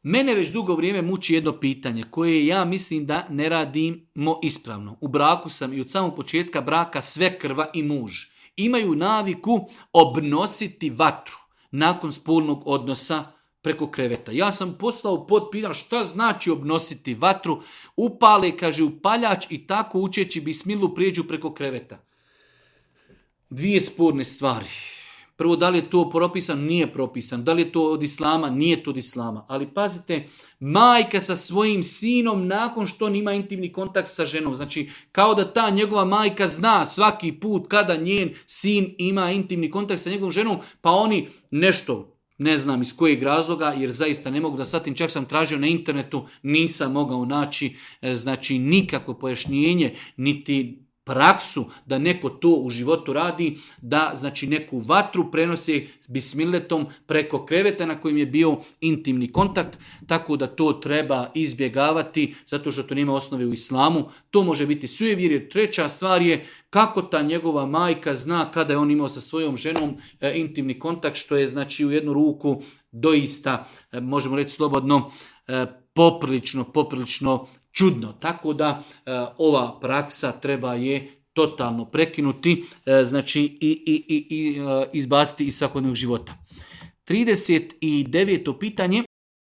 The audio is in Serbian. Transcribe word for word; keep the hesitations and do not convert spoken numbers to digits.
Mene već dugo vrijeme muči jedno pitanje koje ja mislim da ne radimo ispravno. U braku sam i od samog početka braka svekrva i muž imaju naviku obnositi vatru nakon spolnog odnosa preko kreveta. Ja sam poslao pod pitanje šta znači obnositi vatru, upale, kaže, upaljač i tako učeći bismilu prijeđu preko kreveta. Dvije sporne stvari. Prvo, da li je to propisano? Nije propisano. Da li je to od islama? Nije to od islama. Ali pazite, majka sa svojim sinom nakon što on ima intimni kontakt sa ženom. Znači, kao da ta njegova majka zna svaki put kada njen sin ima intimni kontakt sa njegovom ženom, pa oni nešto, ne znam iz kojeg razloga, jer zaista ne mogu da satim, čak sam tražio na internetu, nisam mogao naći, znači, nikakvo pojašnjenje, niti praksu da neko to u životu radi, da znači neku vatru prenosi bismiletom preko kreveta na kojem je bio intimni kontakt, tako da to treba izbjegavati, zato što to nema osnove u islamu. To može biti sujevjerje. Treća stvar je kako ta njegova majka zna kada je on imao sa svojom ženom e, intimni kontakt, što je znači u jednu ruku doista, e, možemo reći slobodno, e, poprilično, poprilično čudno. Tako da e, ova praksa treba je totalno prekinuti, e, znači i, i, i, i e, izbaciti iz svakodnevnog života. trideset deveto pitanje.